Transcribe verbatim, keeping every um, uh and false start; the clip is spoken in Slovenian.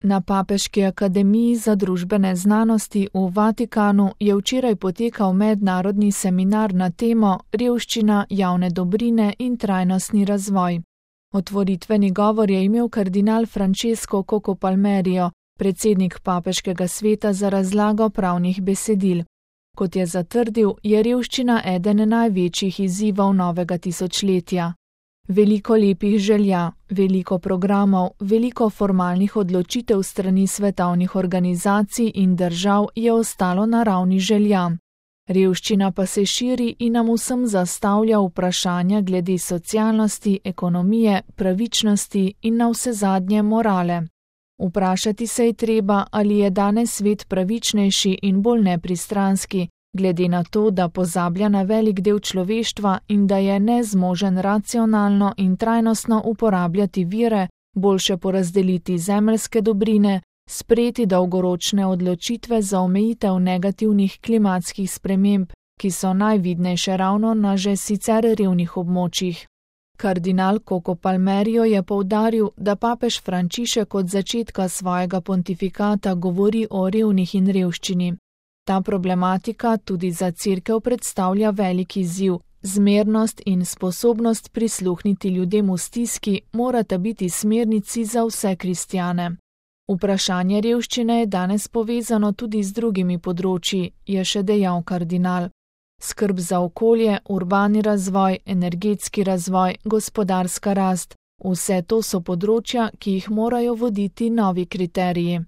Na Papeški akademiji za družbene znanosti v Vatikanu je včeraj potekal mednarodni seminar na temo Revščina, javne dobrine in trajnostni razvoj. Otvoritveni govor je imel kardinal Francesco Coco Palmerio, predsednik Papeškega sveta za razlago pravnih besedil. Kot je zatrdil, je revščina eden največjih izzivov novega tisočletja. Veliko lepih želja, veliko programov, veliko formalnih odločitev strani svetovnih organizacij in držav je ostalo na ravni želja. Revščina pa se širi in nam vsem zastavlja vprašanja glede socialnosti, ekonomije, pravičnosti in navsezadnje morale. Vprašati se je treba, ali je danes svet pravičnejši in bolj nepristranski, glede na to, da pozablja na velik del človeštva in da je nezmožen racionalno in trajnostno uporabljati vire, boljše porazdeliti zemeljske dobrine, sprejeti dolgoročne odločitve za omejitev negativnih klimatskih sprememb, ki so najvidnejše ravno na že sicer revnih območjih. Kardinal Coco Palmerio je poudaril, da papež Frančišek od začetka svojega pontifikata govori o revnih in revščini. Ta problematika tudi za Cerkev predstavlja velik izziv. Zmernost in sposobnost prisluhniti ljudem v stiski morata biti smernici za vse kristjane. Vprašanje revščine je danes povezano tudi z drugimi področji, je še dejal kardinal. Skrb za okolje, urbani razvoj, energetski razvoj, gospodarska rast, vse to so področja, ki jih morajo voditi novi kriteriji.